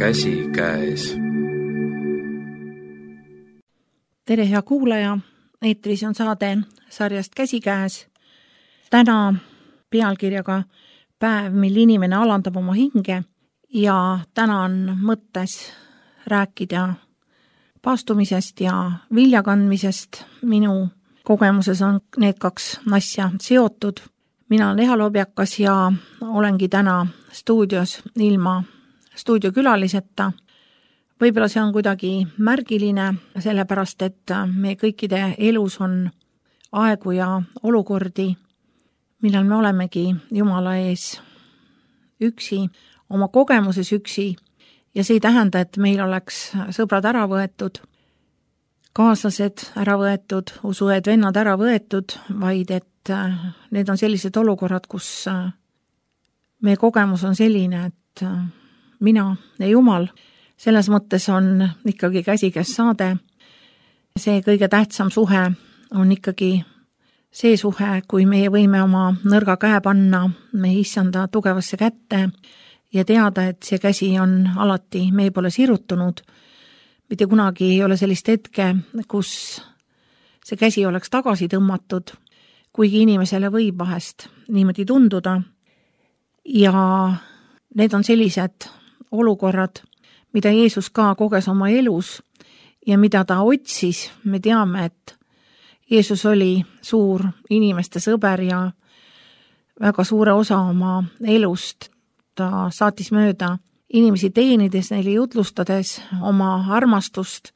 käsikäes. Tere, hea kuulaja! Eetris on saade sarjast Käsikäes. Täna pealkirjaga Päev, mil inimene alandab oma hinge, ja täna on mõttes rääkida paastumisest ja viljakandmisest. Minu kogemuses on need kaks asja seotud. Mina olen Eha Lobjakas ja olengi täna stuudios ilma stuudiokülaliseta. Võib-olla see on kuidagi märgiline, sellepärast et me kõikide elus on aegu ja olukordi, millal me olemegi Jumala ees üksi, oma kogemuses üksi, ja see ei tähenda, et meil oleks sõbrad ära võetud, kaaslased ära võetud, usuõed, vennad ära võetud, vaid et need on sellised olukorrad, kus meie kogemus on selline, et mina ja Jumal, selles mõttes on ikkagi käsikäes saade. See kõige tähtsam suhe on ikkagi see suhe, kui meie võime oma nõrga käe panna meie issanda tugevasse kätte ja teada, et see käsi on alati meie poole sirutunud. Mitte kunagi ei ole sellist hetke, kus see käsi oleks tagasi tõmmatud, kuigi inimesele võib vahest niimoodi tunduda. Ja need on sellised olukorrad, mida Jeesus ka koges oma elus ja mida ta otsis. Me teame, et Jeesus oli suur inimeste sõber ja väga suure osa oma elust ta saatis mööda inimesi teenides, neile jutlustades, oma armastust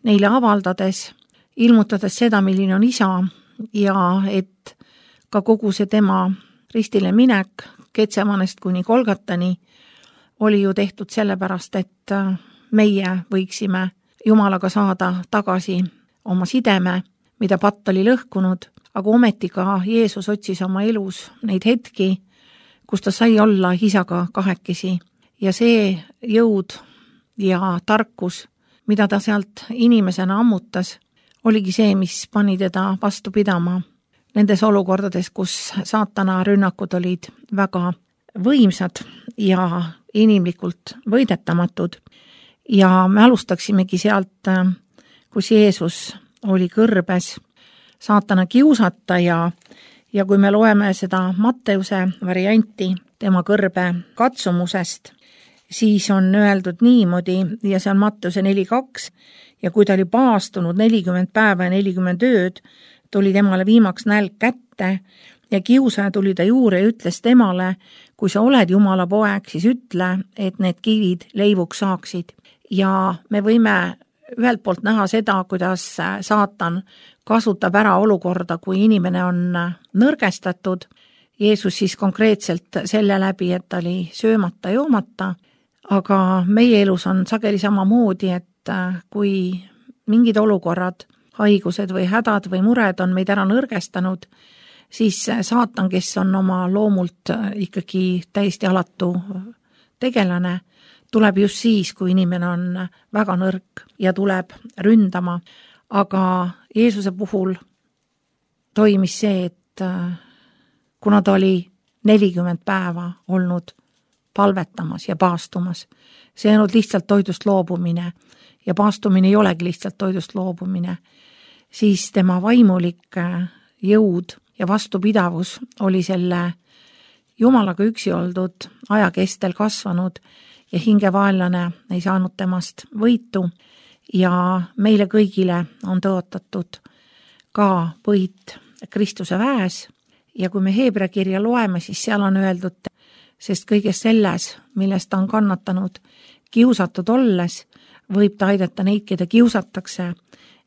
neile avaldades, ilmutades seda, milline on isa, ja et ka kogu see tema ristile minek Getsemanest kuni Golgatani oli ju tehtud sellepärast, et meie võiksime Jumalaga saada tagasi oma sideme, mida patt oli lõhkunud, aga ometi ka Jeesus otsis oma elus neid hetki, kus ta sai olla isaga kahekesi. Ja see jõud ja tarkus, mida ta sealt inimesena ammutas, oligi see, mis pani teda vastu pidama nendes olukordades, kus saatana rünnakud olid väga võimsad ja inimlikult võidetamatud. Ja me alustaksimegi sealt, kus Jeesus oli kõrbes saatana kiusata ja kui me loeme seda Matteuse varianti tema kõrbe katsumusest, siis on öeldud niimoodi, ja see on Matteuse 4.2, ja kui ta oli paastunud 40 päeva ja 40 ööd, tuli temale viimaks nälg kätte ja kiusaja tuli ta juurde ja ütles temale, kui sa oled Jumala poeg, siis ütle, et need kivid leivuks saaksid. Ja me võime ühelt poolt näha seda, kuidas saatan kasutab ära olukorda, kui inimene on nõrgestatud. Jeesus siis konkreetselt selle läbi, et ta oli söömata, joomata, aga meie elus on sageli samamoodi, et kui mingid olukorrad, haigused või hädad või mured on meid ära nõrgestanud, siis saatan, kes on oma loomult ikkagi täiesti alatu tegelane, tuleb just siis, kui inimene on väga nõrk ja tuleb ründama. Aga Jeesuse puhul toimis see, et kuna ta oli 40 päeva olnud palvetamas ja paastumas, see ei olnud lihtsalt toidust loobumine ja paastumine ei olegi lihtsalt toidust loobumine, siis tema vaimulik jõud ja vastupidavus oli selle Jumalaga üksi oldud aja kestel kasvanud ja hingevaenlane ei saanud temast võitu ja meile kõigile on tõotatud ka võit Kristuse väes. Ja kui me Heebrea kirja loeme, siis seal on öeldud, sest kõiges selles, millest ta on kannatanud, kiusatud olles, võib ta aidata neid, keda kiusatakse.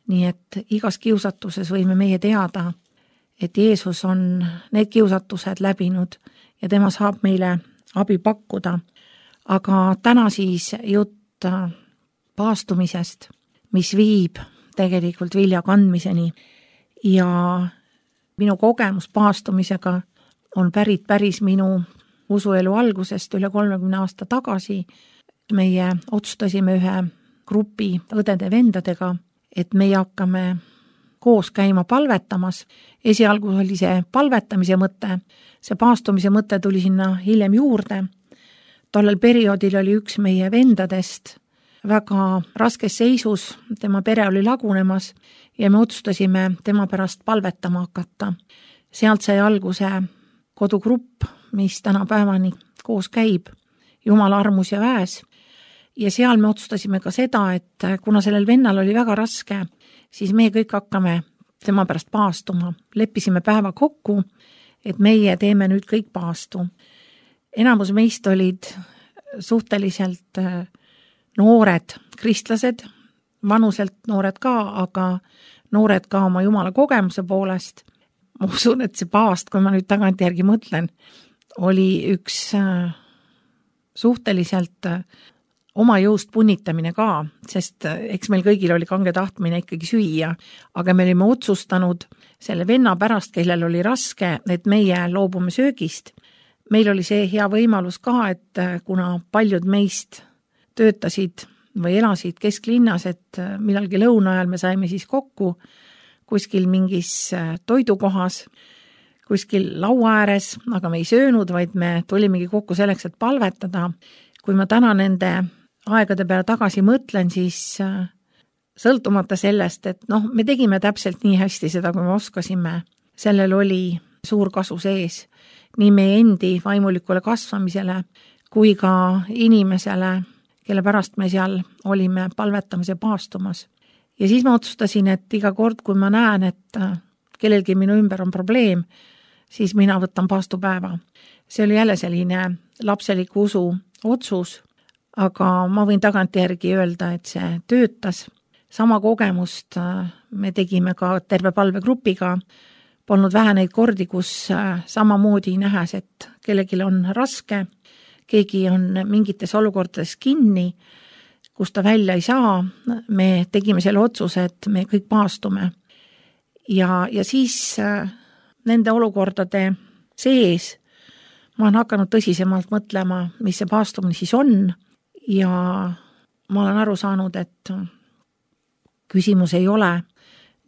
Nii et igas kiusatuses võime meie teada, et Jeesus on need kiusatused läbinud ja tema saab meile abi pakkuda. Aga täna siis jutt paastumisest, mis viib tegelikult vilja kandmiseni. Ja minu kogemus paastumisega on päris minu usuelu algusest üle 30 aasta tagasi. Meie otsustasime ühe grupi õdede-vendadega, et meie hakkame koos käima palvetamas. Esialgu oli see palvetamise mõte, see paastumise mõte tuli sinna hiljem juurde. Tollel perioodil oli üks meie vendadest väga raskes seisus, tema pere oli lagunemas ja me otsustasime tema pärast palvetama hakata. Sealt sai alguse kodugrupp, mis tänapäevani koos käib, Jumala armus ja väes. Ja seal me otsustasime ka seda, et kuna sellel vennal oli väga raske, siis me kõik hakkame tema pärast paastuma. Leppisime päeva kokku, et meie teeme nüüd kõik paastu. Enamus meist olid suhteliselt noored kristlased, vanuselt noored ka, aga noored ka oma Jumala kogemuse poolest. Ma usun, et see paast, kui ma nüüd tagantjärgi mõtlen, oli üks suhteliselt oma jõust punnitamine ka, sest eks meil kõigil oli kange tahtmine ikkagi süüa, aga me olime otsustanud selle venna pärast, kellel oli raske, et meie loobume söögist. Meil oli see hea võimalus ka, et kuna paljud meist töötasid või elasid kesklinnas, et millalgi lõuna ajal me saime siis kokku kuskil mingis toidukohas, kuskil laua ääres, aga me ei söönud, vaid me tulimegi kokku selleks, et palvetada. Kui ma täna nende aegade peale tagasi mõtlen, siis sõltumata sellest, et me tegime täpselt nii hästi seda, kui me oskasime. Sellel oli suur kasu sees nii meie endi vaimulikule kasvamisele kui ka inimesele, kelle pärast me seal olime palvetamas ja paastumas. Ja siis ma otsustasin, et iga kord, kui ma näen, et kellelgi minu ümber on probleem, siis mina võtan paastupäeva. See oli jälle selline lapseliku usu otsus, aga ma võin tagantjärgi öelda, et see töötas. Sama kogemust me tegime ka terve palvegrupiga. Polnud vähe neid kordi, kus samamoodi nähes, et kellelgi on raske, keegi on mingites olukordades kinni, kus ta välja ei saa. Me tegime selle otsuse, et me kõik paastume. Ja siis nende olukordade sees ma olen hakanud tõsisemalt mõtlema, mis see paastumine siis on. Ja ma olen aru saanud, et küsimus ei ole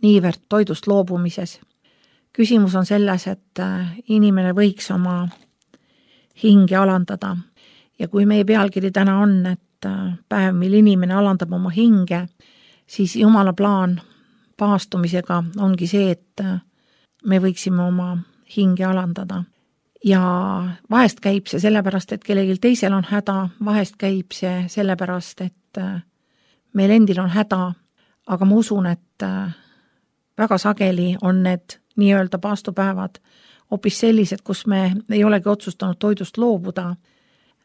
niivõrd toidust loobumises. Küsimus on selles, et inimene võiks oma hinge alandada. Ja kui meie pealkiri täna on, et päev, mil inimene alandab oma hinge, siis Jumala plaan paastumisega ongi see, et me võiksime oma hinge alandada. Ja vahest käib see sellepärast, et kellelgi teisel on häda, vahest käib see sellepärast, et meil endil on häda, aga ma usun, et väga sageli on need nii-öelda paastupäevad hoopis sellised, kus me ei olegi otsustanud toidust loobuda.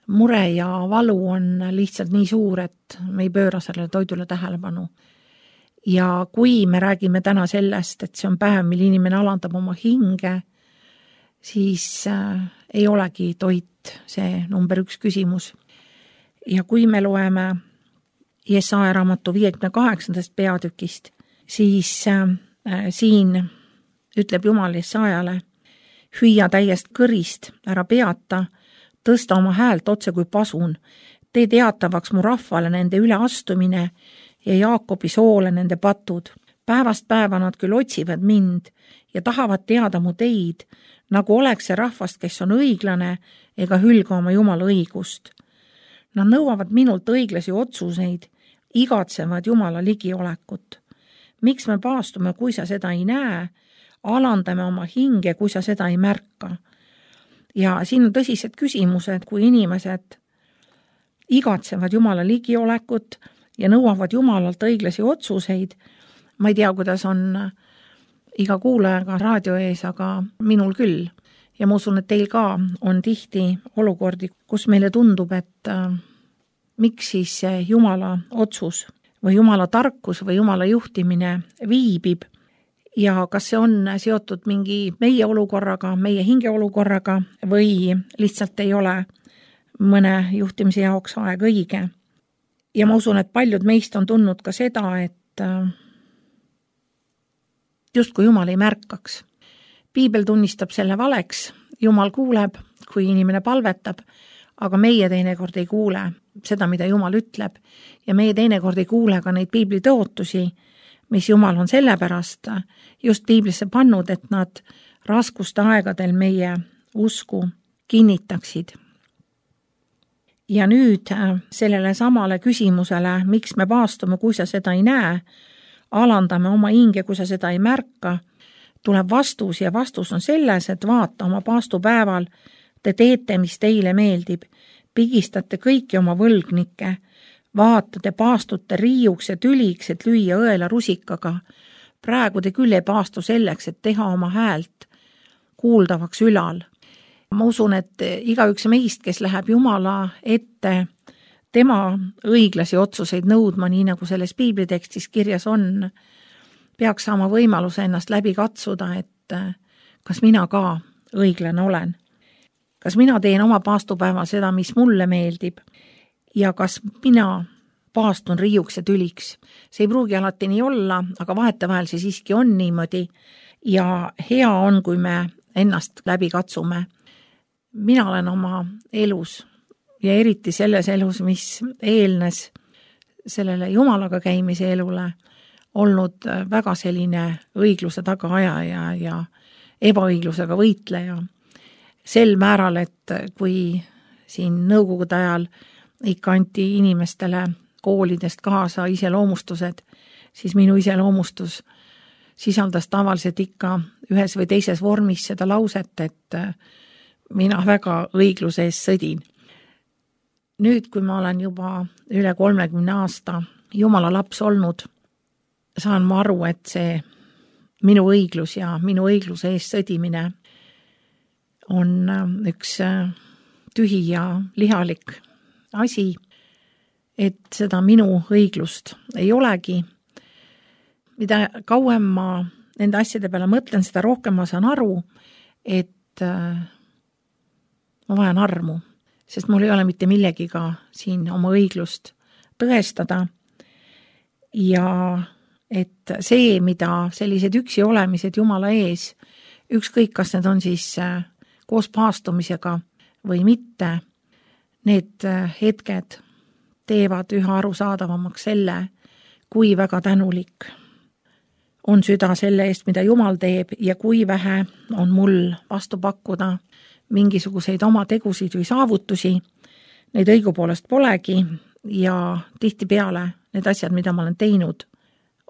Mure ja valu on lihtsalt nii suur, et me ei pööra sellele toidule tähelepanu. Ja kui me räägime täna sellest, et see on päev, mil inimene alandab oma hinge, siis ei olegi toit see number 1 küsimus. Ja kui me loeme Jesaja raamatu 58. peatükist, siis siin ütleb Jumal Jesajale, hüüa täiest kõrist, ära peata, tõsta oma häält otse kui pasun, tee teatavaks mu rahvale nende üleastumine ja Jaakobi soole nende patud. Päevast päeva nad küll otsivad mind ja tahavad teada mu teid, nagu oleks see rahvast, kes on õiglane ega hülga oma Jumala õigust. Nad nõuavad minult õiglasi otsuseid, igatsevad Jumala ligiolekut. Miks me paastume, kui sa seda ei näe? Alandame oma hinge, kui sa seda ei märka. Ja siin on tõsised küsimused, kui inimesed igatsevad Jumala ligiolekut ja nõuavad Jumalalt õiglasi otsuseid. Ma ei tea, kuidas on iga kuulajaga raadio ees, aga minul küll. Ja ma usun, et teil ka on tihti olukordi, kus meile tundub, et miks siis Jumala otsus või Jumala tarkus või Jumala juhtimine viibib. Ja kas see on seotud mingi meie olukorraga, meie hinge olukorraga või lihtsalt ei ole mõne juhtimise jaoks aeg õige. Ja ma usun, et paljud meist on tundnud ka seda, et justkui Jumal ei märkaks. Piibel tunnistab selle valeks, Jumal kuuleb, kui inimene palvetab, aga meie teinekord ei kuule seda, mida Jumal ütleb ja meie teinekord ei kuule ka neid piibli tõotusi, mis Jumal on sellepärast just piiblisse pannud, et nad raskuste aegadel meie usku kinnitaksid. Ja nüüd sellele samale küsimusele, miks me paastume, kui sa seda ei näe, alandame oma hinge, kui sa seda ei märka, tuleb vastus ja vastus on selles, et vaata oma paastupäeval, te teete, mis teile meeldib, pigistate kõiki oma võlgnikke, vaata, te paastute riiuks ja tüliks, et lüüa õela rusikaga. Praegu te küll ei paastu selleks, et teha oma häält kuuldavaks ülal. Ma usun, et igaüks meist, kes läheb Jumala ette, tema õiglasi otsuseid nõudma, nii nagu selles piiblitekstis kirjas on, peaks saama võimaluse ennast läbi katsuda, et kas mina ka õiglane olen. Kas mina teen oma paastupäeval seda, mis mulle meeldib ja kas mina paastun riiuks ja tüliks. See ei pruugi alati nii olla, aga vahetevahel see siiski on niimoodi ja hea on, kui me ennast läbi katsume. Mina olen oma elus ja eriti selles elus, mis eelnes sellele Jumalaga käimise elule, olnud väga selline õigluse tagaajaja ja ebaõiglusega võitleja. Sel määral, et kui siin nõukogude ajal ikka anti inimestele koolidest kaasa iseloomustused, siis minu iseloomustus sisaldas tavaliselt ikka ühes või teises vormis seda lauset, et mina väga õigluse eest sõdin. Nüüd, kui ma olen juba üle 30 aasta Jumala laps olnud, saan ma aru, et see minu õiglus ja minu õigluse eest sõdimine on üks tühi ja lihalik asi, et seda minu õiglust ei olegi. Mida kauem ma nende asjade peale mõtlen, seda rohkem ma saan aru, et ma vajan armu, sest mul ei ole mitte millegiga siin oma õiglust tõestada ja et see, mida sellised üksi olemised Jumala ees, ükskõik kas need on siis koos paastumisega või mitte, need hetked teevad üha arusaadavamaks selle, kui väga tänulik on süda selle eest, mida Jumal teeb ja kui vähe on mul vastu pakkuda mingisuguseid oma tegusid või saavutusi. Neid õigupoolest polegi ja tihtipeale need asjad, mida ma olen teinud,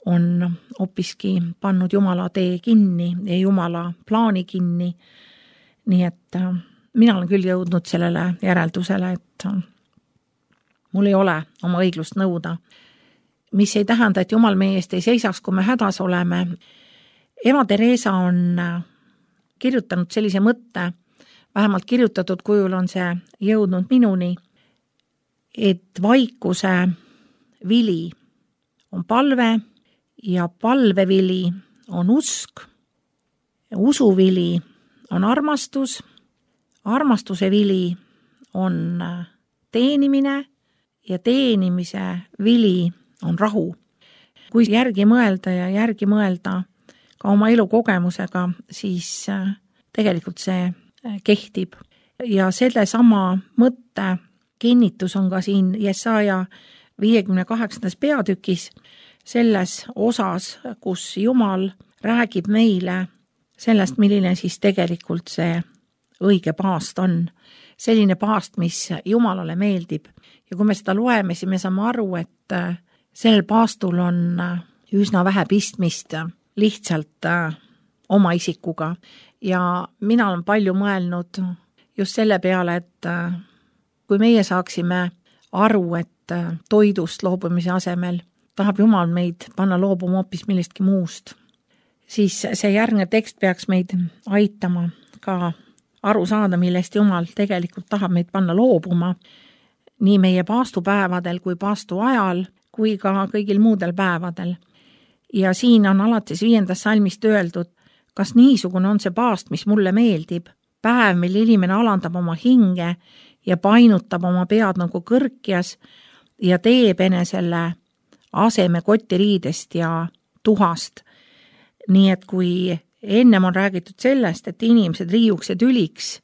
on hoopiski pannud Jumala tee kinni ja Jumala plaani kinni. Nii et mina olen küll jõudnud sellele järeldusele, et mul ei ole oma õiglust nõuda, mis ei tähenda, et Jumal meie eest ei seisaks, kui me hädas oleme. Ema Teresa on kirjutanud sellise mõtte, vähemalt kirjutatud kujul on see jõudnud minuni, et vaikuse vili on palve ja palvevili on usk, usuvili on armastus, armastuse vili on teenimine ja teenimise vili on rahu. Kui järgi mõelda ja järgi mõelda ka oma elukogemusega, siis tegelikult see kehtib. Ja selle sama mõtte kinnitus on ka siin Jesaja 58. peatükis, selles osas, kus Jumal räägib meile sellest, milline siis tegelikult see õige paast on. Selline paast, mis Jumalale meeldib. Ja kui me seda loeme, siis me saame aru, et sellel paastul on üsna vähe pistmist lihtsalt oma isikuga. Ja mina olen palju mõelnud just selle peale, et kui meie saaksime aru, et toidust loobumise asemel tahab Jumal meid panna loobuma hoopis millestki muust, siis see järgnev tekst peaks meid aitama ka aru saada, millest Jumal tegelikult tahab meid panna loobuma nii meie paastupäevadel kui paastu ajal kui ka kõigil muudel päevadel. Ja siin on alates 5. salmist öeldud, kas niisugune on see paast, mis mulle meeldib, päev, mil inimene alandab oma hinge ja painutab oma pead nagu kõrkjas ja teeb enesele aseme kotiriidest ja tuhast. Nii et kui ennem on räägitud sellest, et inimesed riiuks ja tüliks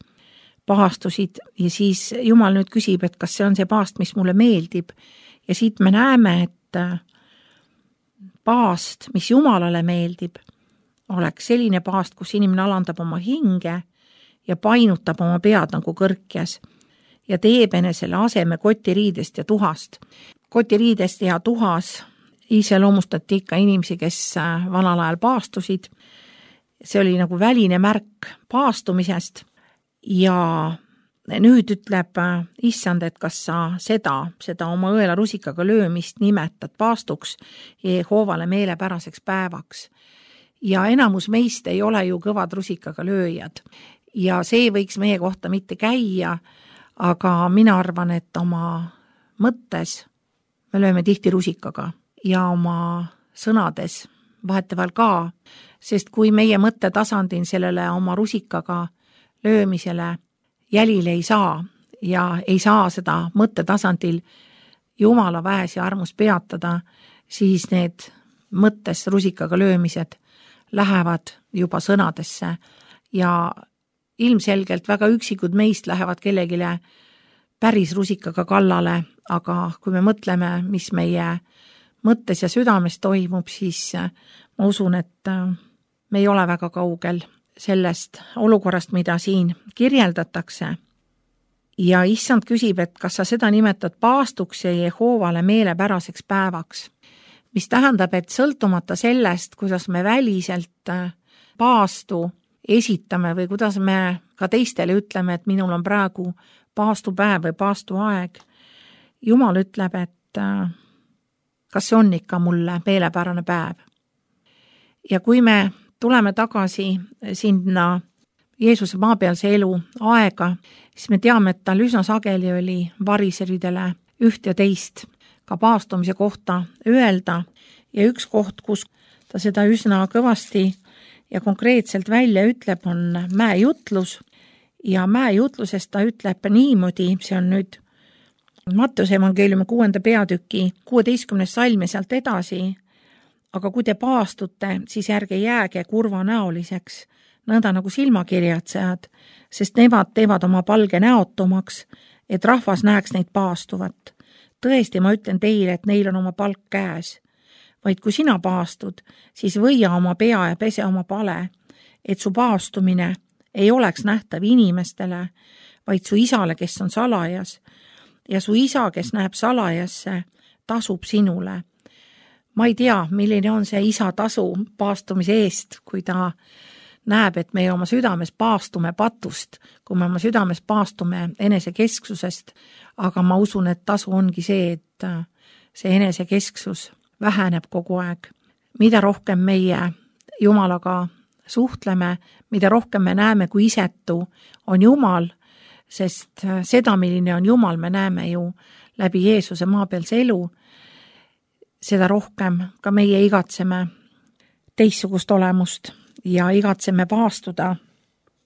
paastusid ja siis Jumal nüüd küsib, et kas see on see paast, mis mulle meeldib. Ja siit me näeme, et paast, mis Jumalale meeldib, oleks selline paast, kus inimene alandab oma hinge ja painutab oma pead nagu kõrkjas ja teeb enesele aseme kotiriidest ja tuhast. Kotiriidest ja tuhas iseloomustati ikka inimesi, kes vanal ajal paastusid. See oli nagu väline märk paastumisest ja nüüd ütleb issand, et kas sa seda oma õelarusikaga löömist nimetad paastuks Jehoovale meelepäraseks päevaks. Ja enamus meist ei ole ju kõvad rusikaga lööjad ja see võiks meie kohta mitte käia, aga mina arvan, et oma mõttes me lööme tihti rusikaga ja oma sõnades vahetevahel ka, sest kui meie mõttetasandil sellele oma rusikaga löömisele jälile ei saa ja ei saa seda mõttetasandil Jumala väes ja armus peatada, siis need mõttes rusikaga löömised lähevad juba sõnadesse ja ilmselgelt väga üksikud meist lähevad kellegile päris rusikaga kallale, aga kui me mõtleme, mis meie mõttes ja südames toimub, siis ma usun, et me ei ole väga kaugel sellest olukorrast, mida siin kirjeldatakse. Ja issand küsib, et kas sa seda nimetad paastuks ja Jehoovale meelepäraseks päevaks, mis tähendab, et sõltumata sellest, kuidas me väliselt paastu esitame või kuidas me ka teistele ütleme, et minul on praegu paastupäev või paastuaeg, Jumal ütleb, et kas see on ikka mulle meelepärane päev. Ja kui me tuleme tagasi sinna Jeesuse maapealse elu aega, siis me teame, et tal üsna sageli oli variseridele üht ja teist ka paastumise kohta öelda ja üks koht, kus ta seda üsna kõvasti ja konkreetselt välja ütleb, on mäejutlus ja mäejutlusest ta ütleb niimoodi, see on nüüd Matteuse evangeeliumi 6. peatüki 16. salm ja sealt edasi, aga kui te paastute, siis ärge jääge kurvanäoliseks, nõnda nagu silmakirjatsejad, sest nemad teevad oma palge näotumaks, et rahvas näeks neid paastuvat. Tõesti, ma ütlen teile, et neil on oma palk käes. Vaid kui sina paastud, siis võia oma pea ja pese oma pale, et su paastumine ei oleks nähtav inimestele, vaid su isale, kes on salajas, ja su isa, kes näeb salajasse, tasub sinule. Ma ei tea, milline on see isa tasu paastumise eest, kui ta näeb, et meie oma südames paastume patust, kui me oma südames paastume enesekesksusest, aga ma usun, et tasu ongi see, et see enesekesksus väheneb kogu aeg. Mida rohkem meie Jumalaga suhtleme, mida rohkem me näeme, kui isetu on Jumal, sest seda, milline on Jumal, me näeme ju läbi Jeesuse maapealse elu, seda rohkem ka meie igatseme teistsugust olemust ja igatseme paastuda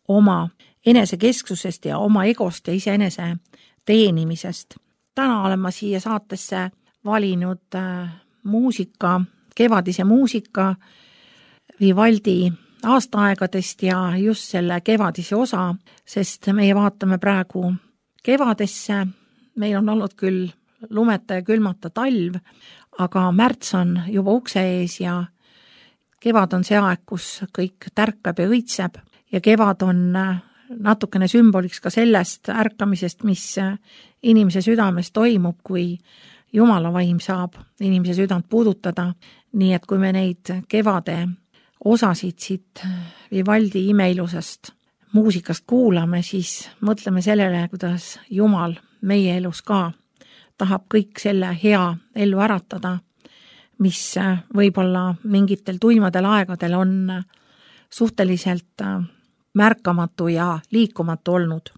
oma enesekesksusest ja oma egost ja iseenese teenimisest. Täna olen ma siia saatesse valinud muusika, kevadise muusika Vivaldi aastaaegadest ja just selle kevadise osa, sest meie vaatame praegu kevadesse, meil on olnud küll lumeta ja külmata talv, aga märts on juba ukse ees ja kevad on see aeg, kus kõik tärkab ja õitseb ja kevad on natukene sümboliks ka sellest ärkamisest, mis inimese südames toimub, kui Jumala vaim saab inimese südant puudutada, nii et kui me neid kevade osasid siit Vivaldi imeilusast muusikast kuulame, siis mõtleme sellele, kuidas Jumal meie elus ka tahab kõik selle hea ellu äratada, mis võib-olla mingitel tuimadel aegadel on suhteliselt märkamatu ja liikumatu olnud.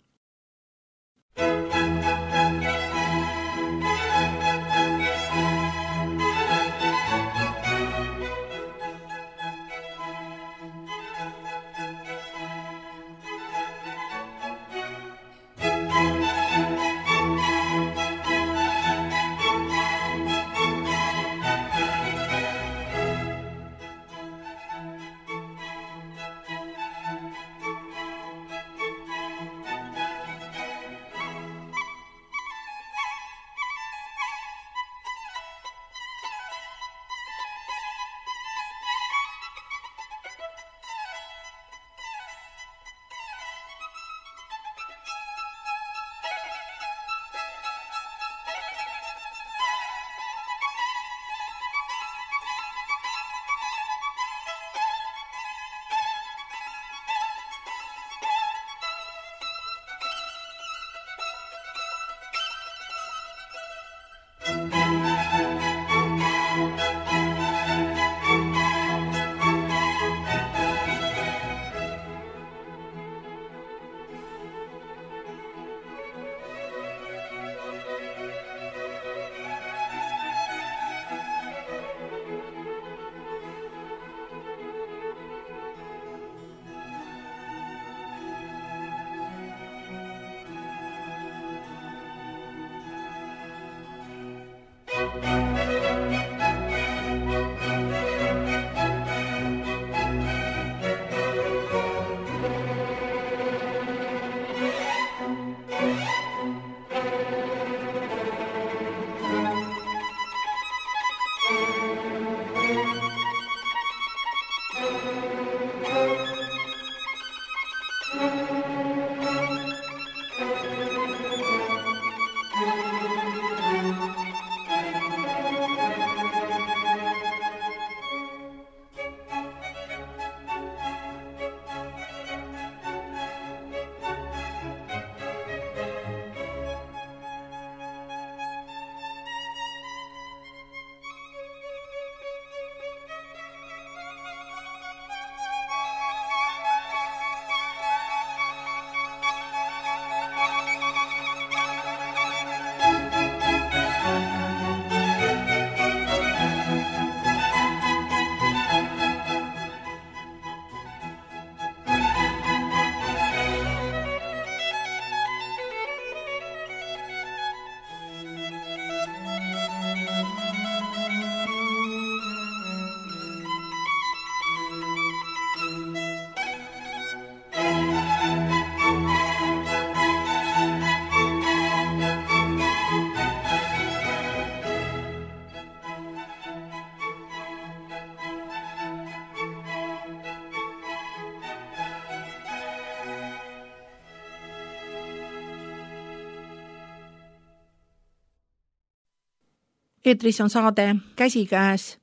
Eetris on saade Käsikäes,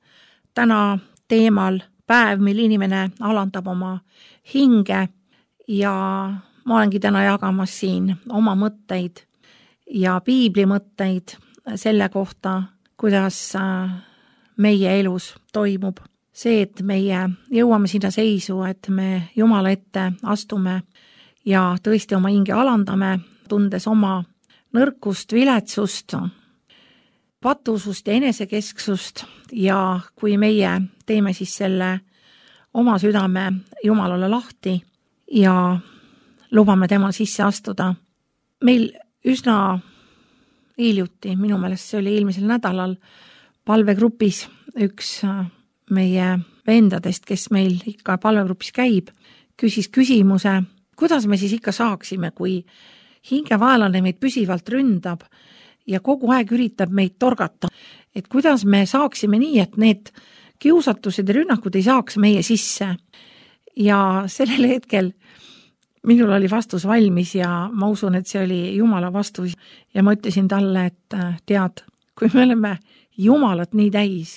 täna teemal päev, mil inimene alandab oma hinge ja ma olengi täna jagamas siin oma mõtteid ja piibli mõtteid selle kohta, kuidas meie elus toimub. See, et meie jõuame sinna seisu, et me Jumala ette astume ja tõesti oma hinge alandame, tundes oma nõrkust, viletsust, patusust ja enesekesksust ja kui meie teeme siis selle oma südame Jumalale lahti ja lubame temal sisse astuda. Meil üsna hiljuti, minu meelest see oli eelmisel nädalal, palvegrupis üks meie vendadest, kes meil ikka palvegrupis käib, küsis küsimuse, kuidas me siis ikka saaksime, kui hingevaelane meid püsivalt ründab ja kogu aeg üritab meid torgata, et kuidas me saaksime nii, et need kiusatused ja rünnakud ei saaks meie sisse. Ja sellel hetkel minul oli vastus valmis ja ma usun, et see oli Jumala vastus ja ma ütlesin talle, et tead, kui me oleme Jumalat nii täis,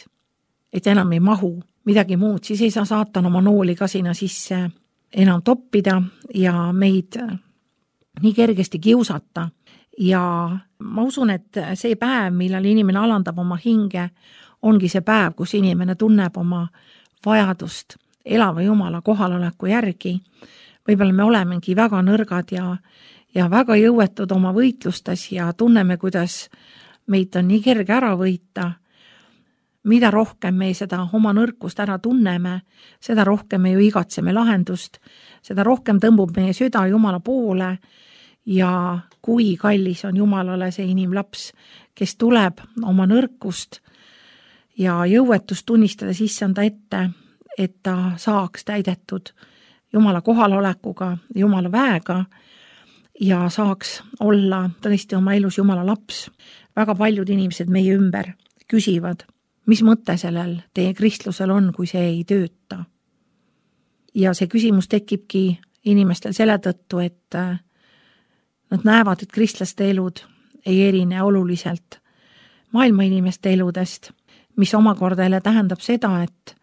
et enam ei mahu midagi muud, siis ei saa saatan oma nooli ka sinna sisse enam toppida ja meid nii kergesti kiusata. Ja ma usun, et see päev, millal inimene alandab oma hinge, ongi see päev, kus inimene tunneb oma vajadust elava Jumala kohaloleku järgi. Võib-olla me olemegi väga nõrgad ja väga jõuetud oma võitlustes ja tunneme, kuidas meid on nii kerge ära võita. Mida rohkem me seda oma nõrkust ära tunneme, seda rohkem me ju igatseme lahendust, seda rohkem tõmbub meie süda Jumala poole ja kui kallis on Jumalale see inimlaps, kes tuleb oma nõrkust ja jõuetust tunnistada sisse anda ette, et ta saaks täidetud Jumala kohalolekuga, Jumala väega ja saaks olla tõesti oma elus Jumala laps. Väga paljud inimesed meie ümber küsivad, mis mõte sellel teie kristlusel on, kui see ei tööta. Ja see küsimus tekibki inimestel selle tõttu, et nad näevad, et kristlaste elud ei erine oluliselt maailma inimeste eludest, mis omakorda jälle tähendab seda, et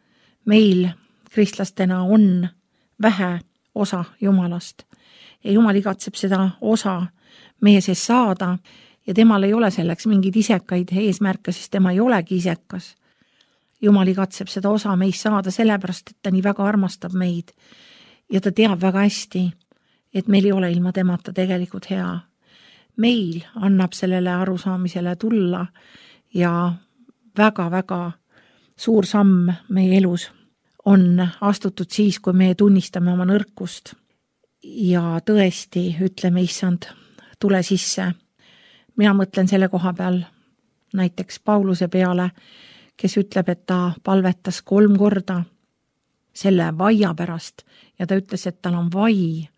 meil kristlastena on vähe osa Jumalast. Ja Jumal igatseb seda osa meie sees saada ja temal ei ole selleks mingeid isekaid eesmärke, sest tema ei olegi isekas. Jumal igatseb seda osa meis saada sellepärast, et ta nii väga armastab meid ja ta teab väga hästi, et meil ei ole ilma temata tegelikult hea. Meil annab sellele arusaamisele tulla ja väga-väga suur samm meie elus on astutud siis, kui me tunnistame oma nõrkust ja tõesti ütleme, issand, tule sisse. Mina mõtlen selle koha peal näiteks Pauluse peale, kes ütleb, et ta palvetas 3 korda selle vaia pärast ja ta ütles, et tal on vai,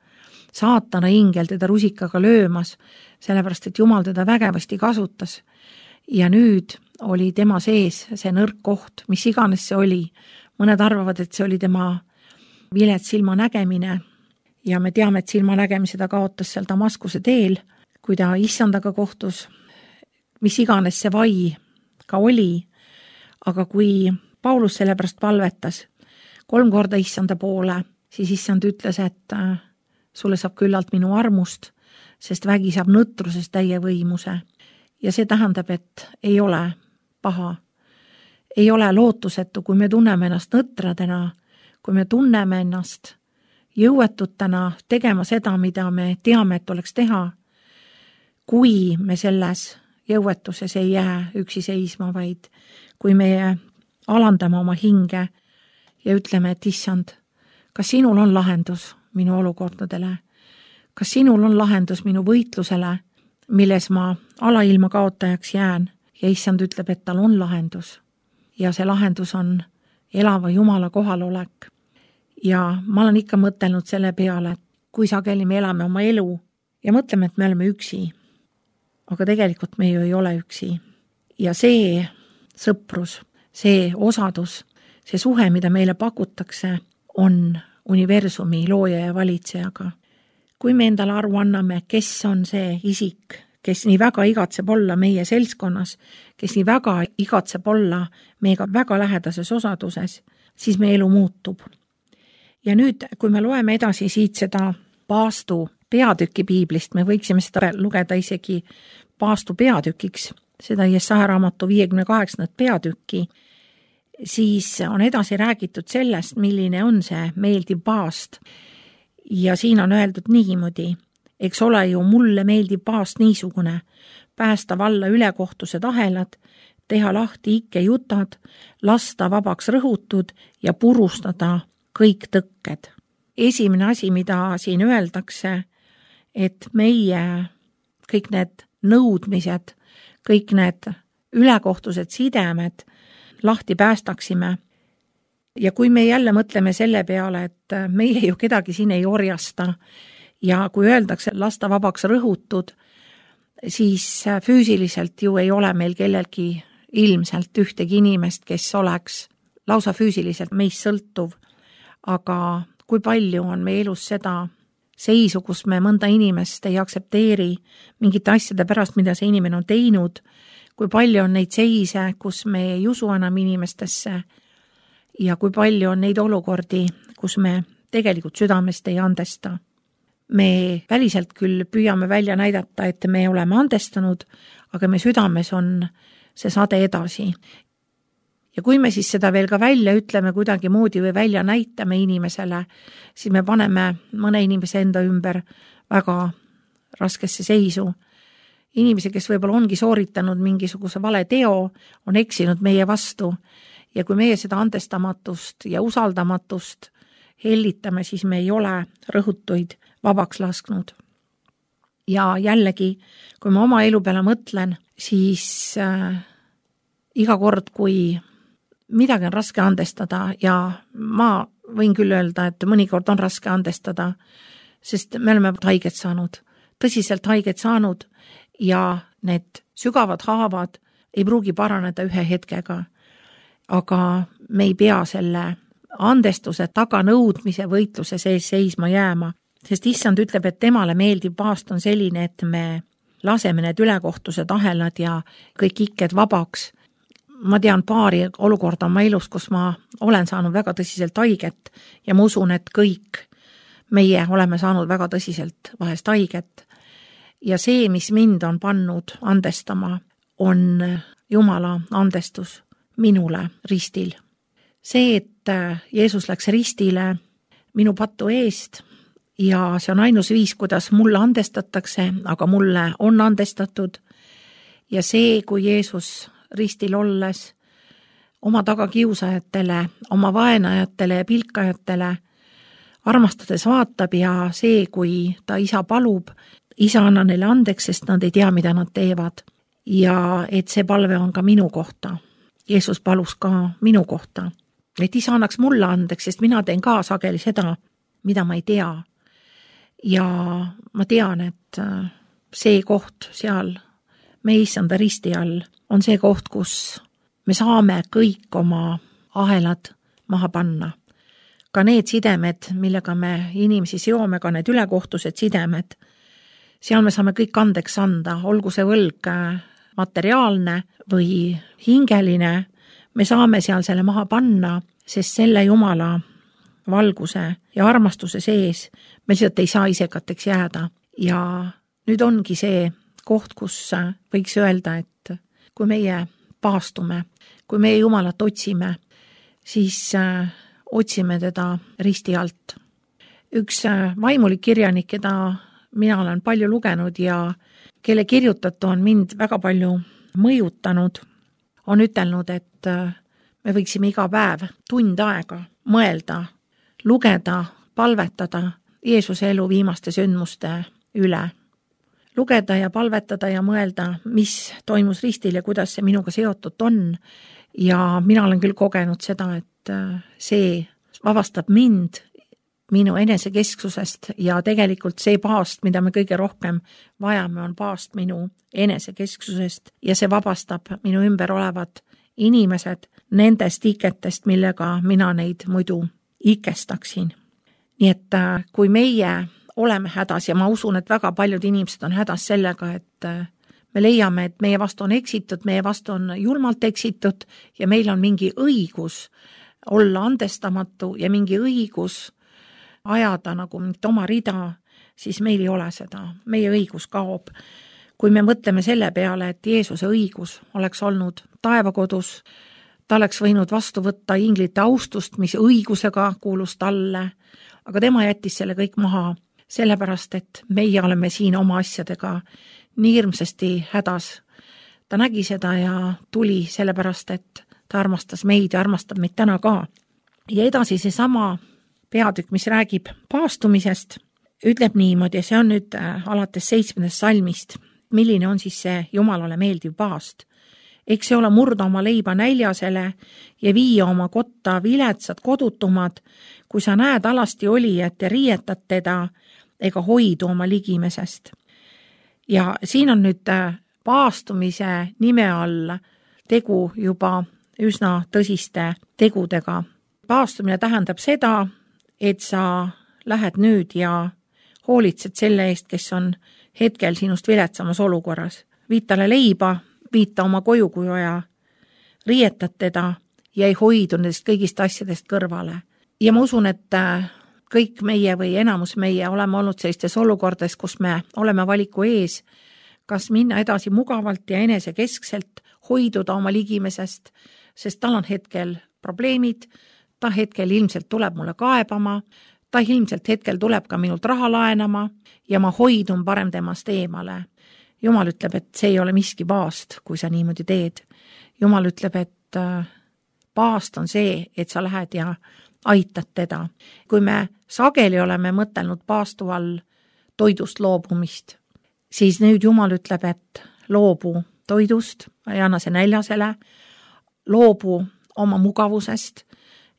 saatana ingel teda rusikaga löömas, sellepärast et Jumal teda vägevasti kasutas. Ja nüüd oli tema sees see nõrk koht, mis iganes see oli. Mõned arvavad, et see oli tema vilets silmanägemine ja me teame, et silmanägemise ta kaotas seal Damaskuse teel, kui ta issandaga kohtus, mis iganes see vai ka oli. Aga kui Paulus sellepärast palvetas 3 korda issanda poole, siis issand ütles, et sulle saab küllalt minu armust, sest vägi saab nõtrusest täie võimuse. Ja see tähendab, et ei ole paha, ei ole lootusetu, kui me tunneme ennast nõtradena, kui me tunneme ennast jõuetutena tegema seda, mida me teame, et oleks teha, kui me selles jõuetuses ei jää üksi seisma, vaid kui me alandame oma hinge ja ütleme, et issand, kas sinul on lahendus minu olukordadele? Kas sinul on lahendus minu võitlusele, milles ma alailma kaotajaks jään? Ja issand ütleb, et tal on lahendus. Ja see lahendus on elava Jumala kohalolek. Ja ma olen ikka mõtelnud selle peale, et kui sageli me elame oma elu ja mõtleme, et me oleme üksi. Aga tegelikult me ju ei ole üksi. Ja see sõprus, see osadus, see suhe, mida meile pakutakse, on universumi looja ja valitsejaga. Kui me endale aru anname, kes on see isik, kes nii väga igatseb olla meie seltskonnas, kes nii väga igatseb olla meiega väga lähedases osaduses, siis meie elu muutub. Ja nüüd, kui me loeme edasi siit seda paastu peatüki piiblist, me võiksime seda lugeda isegi paastu peatükiks, seda Jesaja raamatu 58. peatükki, siis on edasi räägitud sellest, milline on see meeldiv paast. Ja siin on öeldud niimoodi, eks ole ju mulle meeldib paast niisugune, päästa valla ülekohtused ahelad, teha lahti ikke jutad, lasta vabaks rõhutud ja purustada kõik tõkked. Esimene asi, mida siin öeldakse, et meie kõik need nõudmised, kõik need ülekohtused sidemed lahti päästaksime. Ja kui me jälle mõtleme selle peale, et meie ju kedagi siin ei orjasta ja kui öeldakse lasta vabaks rõhutud, siis füüsiliselt ju ei ole meil kellelgi ilmselt ühtegi inimest, kes oleks lausa füüsiliselt meist sõltuv. Aga kui palju on meie elus seda seisu, kus me mõnda inimest ei aksepteeri mingite asjade pärast, mida see inimene on teinud, kui palju on neid seise, kus me ei usu enam inimestesse ja kui palju on neid olukordi, kus me tegelikult südamest ei andesta. Me väliselt küll püüame välja näidata, et me oleme andestanud, aga me südames on see sade edasi. Ja kui me siis seda veel ka välja ütleme kuidagi moodi või välja näitame inimesele, siis me paneme mõne inimese enda ümber väga raskesse seisu. Inimese, kes võib-olla ongi sooritanud mingisuguse vale teo, on eksinud meie vastu ja kui meie seda andestamatust ja usaldamatust hellitame, siis me ei ole rõhutuid vabaks lasknud. Ja jällegi, kui ma oma elu peale mõtlen, siis iga kord, kui midagi on raske andestada ja ma võin küll öelda, et mõnikord on raske andestada, sest me oleme haiget saanud, tõsiselt haiget saanud ja need sügavad haavad ei pruugi paraneda ühe hetkega. Aga me ei pea selle andestuse taganõudmise võitluse sees seisma jääma, sest issand ütleb, et temale meeldiv paast on selline, et me laseme need ülekohtused ahelad ja kõik ikked vabaks. Ma tean paari olukorda oma elus, kus ma olen saanud väga tõsiselt haiget ja ma usun, et kõik meie oleme saanud väga tõsiselt vahest haiget. Ja see, mis mind on pannud andestama, on Jumala andestus minule ristil. See, et Jeesus läks ristile minu pattu eest ja see on ainus viis, kuidas mulle andestatakse, aga mulle on andestatud. Ja see, kui Jeesus ristil olles oma tagakiusajatele, oma vaenajatele ja pilkajatele armastades vaatab ja see, kui ta isa palub, isa anna neile andeks, sest nad ei tea, mida nad teevad. ja et see palve on ka minu kohta. Jeesus palus ka minu kohta, et isa annaks mulle andeks, sest mina teen ka sageli seda, mida ma ei tea. Ja ma tean, et see koht seal meie issanda risti all on see koht, kus me saame kõik oma ahelad maha panna. Ka need sidemed, millega me inimesi seome, ka need ülekohtused sidemed, seal me saame kõik andeks anda, olgu see võlg materiaalne või hingeline, me saame seal selle maha panna, sest selle Jumala valguse ja armastuse sees me lihtsalt ei saa isekateks jääda. Ja nüüd ongi see koht, kus võiks öelda, et kui meie paastume, kui meie Jumalat otsime, siis otsime teda risti alt. Üks vaimulik kirjanik, keda mina olen palju lugenud ja kelle kirjutatu on mind väga palju mõjutanud, on ütelnud, et me võiksime iga päev tund aega mõelda, lugeda, palvetada Jeesuse elu viimaste sündmuste üle. Lugeda ja palvetada ja mõelda, mis toimus ristil ja kuidas see minuga seotud on. Ja mina olen küll kogenud seda, et see vabastab mind minu enesekesksusest ja tegelikult see paast, mida me kõige rohkem vajame, on paast minu enesekesksusest ja see vabastab minu ümber olevad inimesed nendest iketest, millega mina neid muidu ikestaksin. Nii et kui meie oleme hädas ja ma usun, et väga paljud inimesed on hädas sellega, et me leiame, et meie vastu on eksitud, meie vastu on julmalt eksitud ja meil on mingi õigus olla andestamatu ja mingi õigus ajada nagu oma rida, siis meil ei ole seda. Meie õigus kaob. Kui me mõtleme selle peale, et Jeesuse õigus oleks olnud taevakodus, ta oleks võinud vastu võtta inglite austust, mis õigusega kuulus talle, aga tema jättis selle kõik maha, sellepärast, et meie oleme siin oma asjadega nii hirmsasti hädas. Ta nägi seda ja tuli sellepärast, et ta armastas meid ja armastab meid täna ka. Ja edasi see sama peatükk, mis räägib paastumisest, ütleb niimoodi, ja see on nüüd alates 7. salmist, milline on siis see Jumalale meeldiv paast. Eks see ole murda oma leiba näljasele ja viia oma kotta viletsad kodutumad, kui sa näed alasti olijat ja riietad teda ega hoidu oma ligimesest. Ja siin on nüüd paastumise nime all tegu juba üsna tõsiste tegudega. Paastumine tähendab seda, et sa lähed nüüd ja hoolitsed selle eest, kes on hetkel sinust viletsamas olukorras. Viid talle leiba, viid ta oma koju, kui vaja, riietad teda ja ei hoidu nendest kõigist asjadest kõrvale. Ja ma usun, et kõik meie või enamus meie oleme olnud sellistes olukordades, kus me oleme valiku ees, kas minna edasi mugavalt ja enesekeskselt, hoiduda oma ligimesest, sest tal on hetkel probleemid, ta hetkel ilmselt tuleb mulle kaebama, ta ilmselt hetkel tuleb ka minult raha laenama ja ma hoidun parem temast eemale. Jumal ütleb, et see ei ole miski paast, kui sa niimoodi teed. Jumal ütleb, et paast on see, et sa lähed ja aitad teda. Kui me sageli oleme mõtelnud paastu all toidust loobumist, siis nüüd Jumal ütleb, et loobu toidust, ei anna see näljasele, loobu oma mugavusest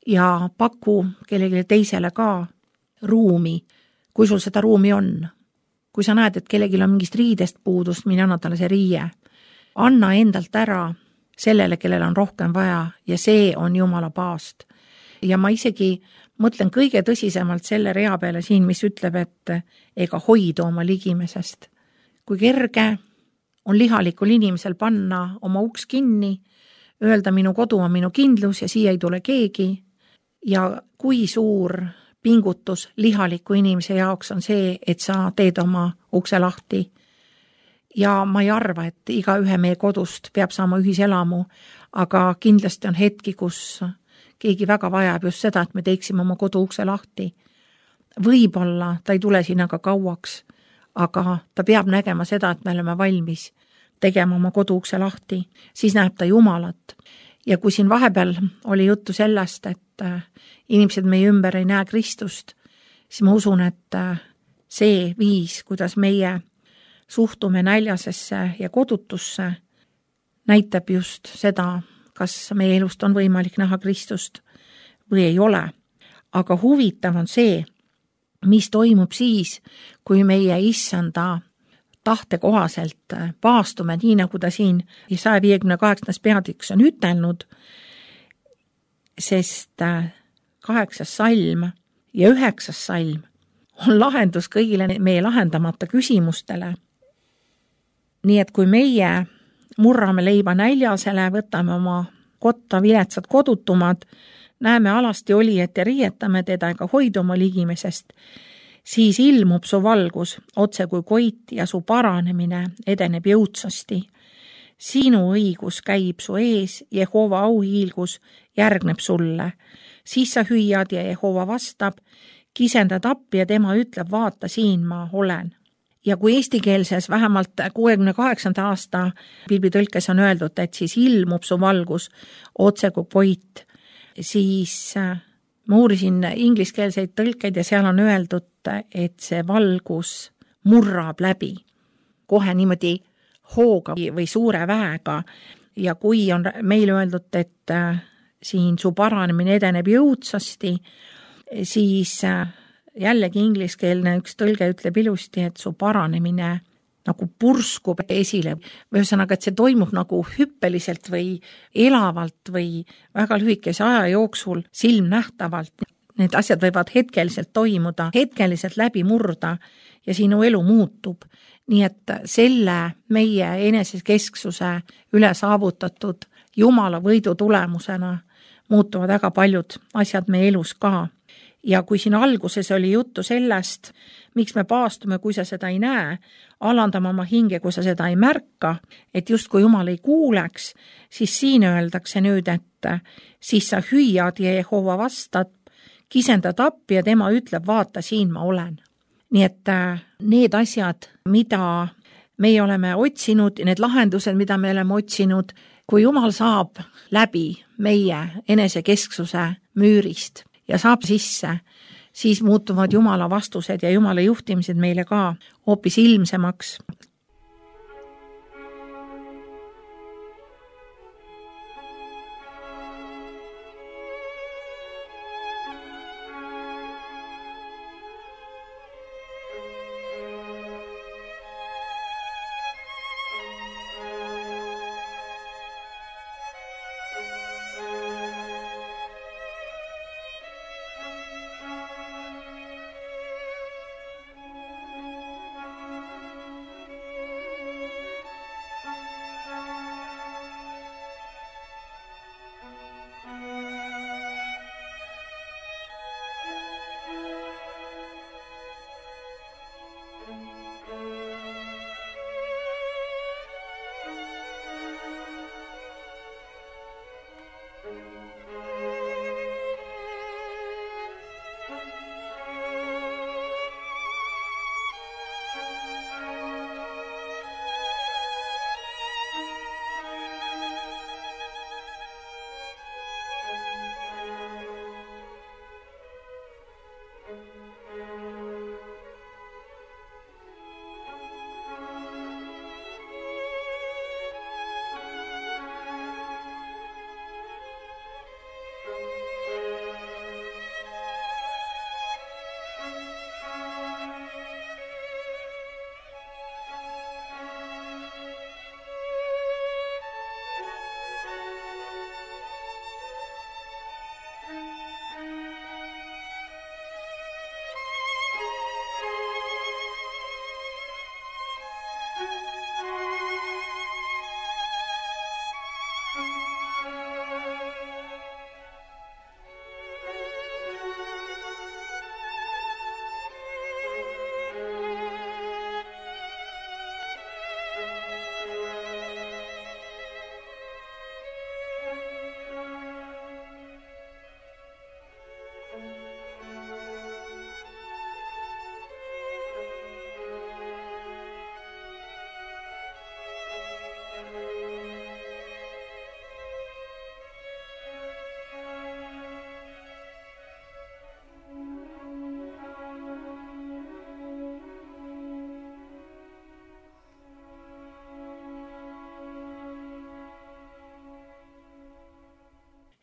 ja paku kellelegi teisele ka ruumi, kui sul seda ruumi on. Kui sa näed, et kellelgi on mingist riidest puudust, mine anna talle see riie. Anna endalt ära sellele, kellel on rohkem vaja ja see on Jumala paast. Ja ma isegi mõtlen kõige tõsisemalt selle rea peale siin, mis ütleb, et ega hoidu oma ligimesest. Kui kerge on lihalikul inimesel panna oma uks kinni, öelda minu kodu on minu kindlus ja siia ei tule keegi ja kui suur pingutus lihaliku inimese jaoks on see, et sa teed oma ukse lahti. Ja ma ei arva, et iga ühe meie kodust peab saama ühiselamu, aga kindlasti on hetki, kus keegi väga vajab just seda, et me teeksime oma kodu ukse lahti. Võib-olla ta ei tule sinna ka kauaks, aga ta peab nägema seda, et me oleme valmis tegema oma kodu ukse lahti, siis näeb ta Jumalat. Ja kui siin vahepeal oli juttu sellest, et inimesed meie ümber ei näe Kristust, siis ma usun, et see viis, kuidas meie suhtume näljasesse ja kodutusse, näitab just seda, kas meie elust on võimalik näha Kristust või ei ole. Aga huvitav on see, mis toimub siis, kui meie issanda tahte kohaselt paastume, nii nagu ta siin 158. peatüks on ütelnud, sest 8. salm ja 9. salm on lahendus kõigile meie lahendamata küsimustele. Nii et kui meie murrame leiba näljasele, võtame oma kotta viletsad kodutumad, näeme alasti olijat ja riietame teda ega hoidu oma ligimesest, siis ilmub su valgus otse kui koit ja su paranemine edeneb jõudsasti. Sinu õigus käib su ees, Jehova auhiilgus järgneb sulle. Siis sa hüüad ja Jehova vastab, kisendad appi ja tema ütleb, vaata siin ma olen. Ja kui eestikeelses vähemalt 68. aasta piiblitõlkes on öeldud, et siis ilmub su valgus otse kui koit, siis ma uurisin ingliskeelseid tõlkeid ja seal on öeldud, et see valgus murrab läbi kohe niimoodi hooga või suure väega. Ja kui on meil öeldud, et siin su paranemine edeneb jõudsasti, siis jällegi ingliskeelne üks tõlge ütleb ilusti, et su paranemine nagu purskub esile. Ühesõnaga, et see toimub nagu hüppeliselt või elavalt või väga lühikese aja jooksul silmnähtavalt. Need asjad võivad hetkeliselt toimuda, hetkeliselt läbi murda ja sinu elu muutub. Nii et selle meie enesekesksuse üle saavutatud Jumala võidu tulemusena muutuvad väga paljud asjad meie elus ka. Ja kui siin alguses oli juttu sellest, miks me paastume, kui sa seda ei näe, alandame oma hinge, kui sa seda ei märka, et just kui Jumal ei kuuleks, siis siin öeldakse nüüd, et siis sa hüüad ja Jehova vastad, kisendad appi ja tema ütleb, vaata siin ma olen. Nii et need asjad, mida meie oleme otsinud, need lahendused, mida me oleme otsinud, kui Jumal saab läbi meie enesekesksuse müürist ja saab sisse, siis muutuvad Jumala vastused ja Jumala juhtimised meile ka hoopis ilmsemaks.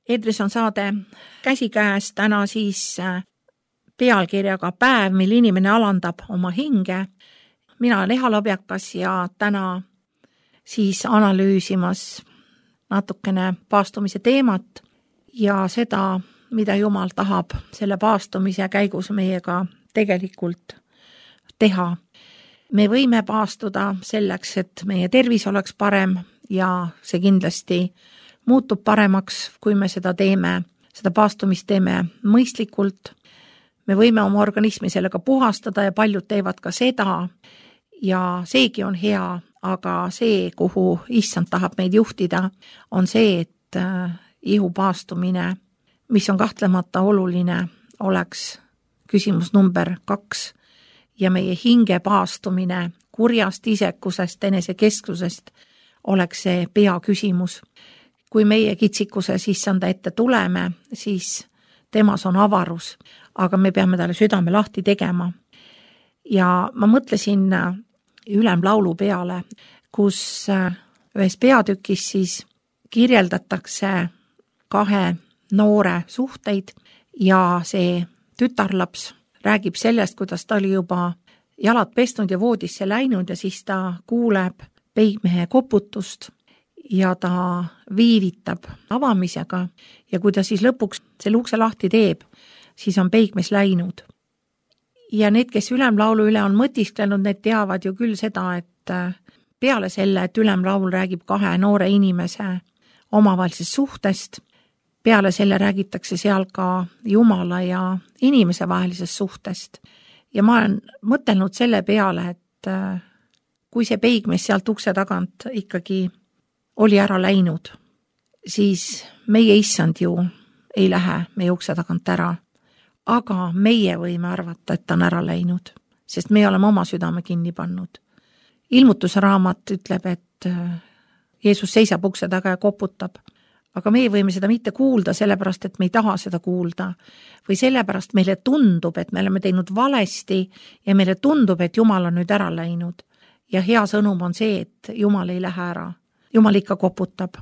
Eetris on saade Käsikäes, täna siis pealkirjaga Päev, mil inimene alandab oma hinge. Mina olen Eha Labjakas ja täna siis analüüsimas natukene paastumise teemat ja seda, mida Jumal tahab selle paastumise käigus meiega tegelikult teha. Me võime paastuda selleks, et meie tervis oleks parem ja see kindlasti muutub paremaks, kui me seda teeme, seda paastumist teeme mõistlikult. Me võime oma organismi sellega puhastada ja paljud teevad ka seda ja seegi on hea, aga see, kuhu Issand tahab meid juhtida, on see, et ihu paastumine, mis on kahtlemata oluline, oleks küsimus number 2 ja meie hinge paastumine kurjast isekusest, enesekesksusest oleks see peaküsimus. Kui meie kitsikuses Issanda ette tuleme, siis temas on avarus, aga me peame talle südame lahti tegema. Ja ma mõtlesin ülemlaulu peale, kus ühes peatükis siis kirjeldatakse 2 noore suhteid ja see tütarlaps räägib sellest, kuidas ta oli juba jalad pesnud ja voodisse läinud ja siis ta kuuleb peigmehe koputust ja ta viivitab avamisega ja kui ta siis lõpuks selle ukse lahti teeb, siis on peigmees läinud. Ja need, kes ülemlaulu üle on mõtisklenud, need teavad ju küll seda, et peale selle, et ülemlaul räägib 2 noore inimese omavahelisest suhtest, peale selle räägitakse seal ka Jumala ja inimese vahelisest suhtest. Ja ma olen mõtelnud selle peale, et kui see peigmees sealt ukse tagant ikkagi oli ära läinud, siis meie Issand ju ei lähe meie ukse tagant ära. Aga meie võime arvata, et ta on ära läinud, sest me oleme oma südame kinni pannud. Ilmutusraamat ütleb, et Jeesus seisab ukse taga ja koputab, aga meie võime seda mitte kuulda, sellepärast, et me ei taha seda kuulda. Või sellepärast meile tundub, et me oleme teinud valesti ja meile tundub, et Jumal on nüüd ära läinud. Ja hea sõnum on see, et Jumal ei lähe ära. Jumal ikka koputab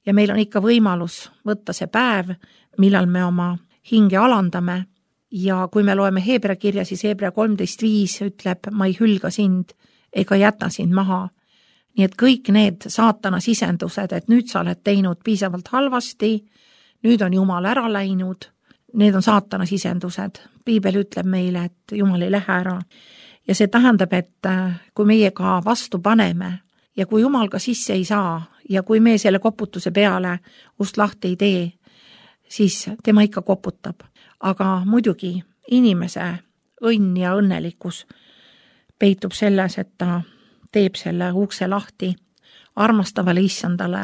ja meil on ikka võimalus võtta see päev, millal me oma hinge alandame. Ja kui me loeme Heebrea kirja, siis Heebrea 13.5 ütleb, ma ei hülga sind ega jäta sind maha. Nii et kõik need saatana sisendused, et nüüd sa oled teinud piisavalt halvasti, nüüd on Jumal ära läinud, need on saatana sisendused. Piibel ütleb meile, et Jumal ei lähe ära. Ja see tähendab, et kui meie ka vastu paneme ja kui Jumal ka sisse ei saa ja kui me selle koputuse peale ust lahti ei tee, siis tema ikka koputab. Aga muidugi inimese õnn ja õnnelikkus peitub selles, et ta teeb selle ukse lahti armastavale Issandale,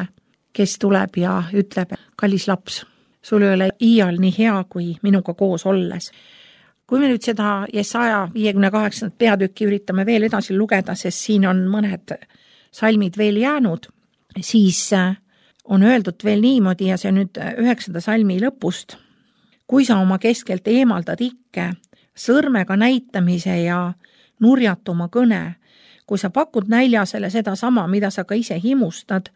kes tuleb ja ütleb, kallis laps, sul ei ole iial nii hea kui minuga koos olles. Kui me nüüd seda Jesaja 58. peatükki üritame veel edasi lugeda, sest siin on mõned salmid veel jäänud, siis on öeldud veel niimoodi ja see nüüd 9. salmi lõpust. Kui sa oma keskelt eemaldad ikke, sõrmega näitamise ja nurjatuma kõne, kui sa pakud näljasele seda sama, mida sa ka ise himustad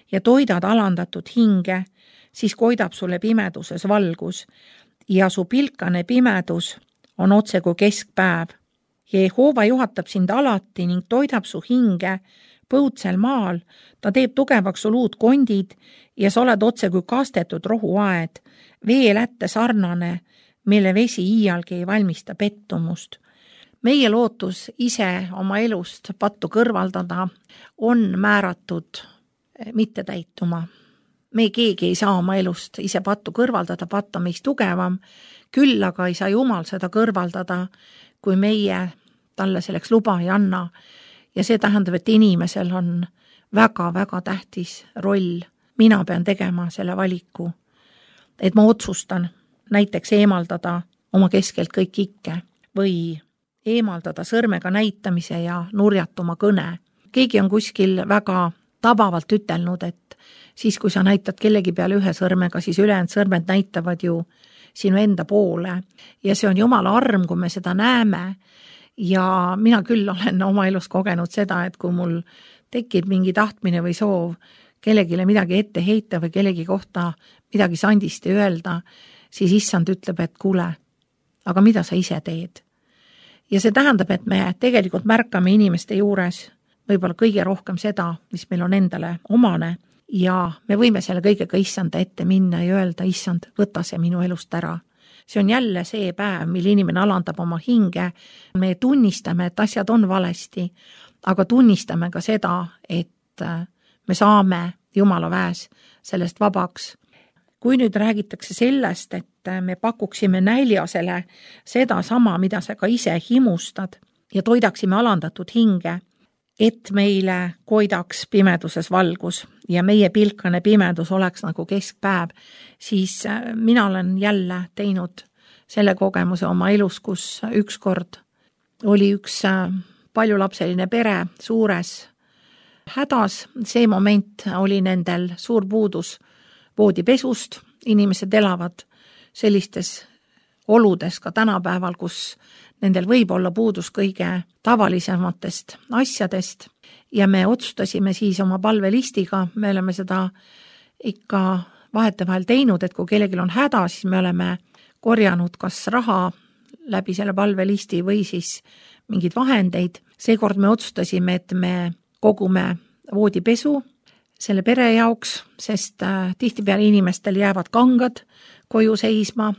ja toidad alandatud hinge, siis koidab sulle pimeduses valgus ja su pilkane pimedus on otse kui keskpäev. Jehova juhatab sind alati ning toidab su hinge põutsel maal, ta teeb tugevaks su luud kondid ja sa oled otse kui kastetud rohuaed, veelätte sarnane, mille vesi iialgi ei valmista pettumust. Meie lootus ise oma elust pattu kõrvaldada on määratud mitte täituma. Me keegi ei saa oma elust ise pattu kõrvaldada, patt on meist tugevam, küll aga ei saa Jumal seda kõrvaldada, kui meie talle selleks luba ei anna. Ja see tähendab, et inimesel on väga-väga tähtis roll. Mina pean tegema selle valiku, et ma otsustan näiteks eemaldada oma keskelt kõik ikke või eemaldada sõrmega näitamise ja nurjatuma kõne. Keegi on kuskil väga tabavalt ütelnud, et siis kui sa näitad kellegi peale ühe sõrmega, siis ülejäänud sõrmed näitavad ju sinu enda poole ja see on Jumala arm, kui me seda näeme. Ja mina küll olen oma elus kogenud seda, et kui mul tekib mingi tahtmine või soov kellegile midagi ette heita või kellegi kohta midagi sandisti öelda, siis issand ütleb, et kuule, aga mida sa ise teed? Ja see tähendab, et me tegelikult märkame inimeste juures võib-olla kõige rohkem seda, mis meil on endale omane ja me võime selle kõigega issanda ette minna ja öelda, issand, võta see minu elust ära. See on jälle see päev, mil inimene alandab oma hinge. Me tunnistame, et asjad on valesti, aga tunnistame ka seda, et me saame Jumala väes sellest vabaks. Kui nüüd räägitakse sellest, et me pakuksime näljasele seda sama, mida sa ka ise himustad ja toidaksime alandatud hinge, et meile koidaks pimeduses valgus ja meie pilkane pimedus oleks nagu keskpäev, siis mina olen jälle teinud selle kogemuse oma elus, kus ükskord oli üks paljulapseline pere suures hädas. See moment oli nendel suur puudus voodipesust. Inimesed elavad sellistes oludes ka tänapäeval, kus nendel võib olla puudus kõige tavalisematest asjadest ja me otsustasime siis oma palvelistiga, me oleme seda ikka vahetevahel teinud, et kui kellelgi on häda, siis me oleme korjanud kas raha läbi selle palvelisti või siis mingid vahendeid. Seekord me otsustasime, et me kogume voodipesu selle pere jaoks, sest tihtipeale inimestel jäävad kangad koju seisma.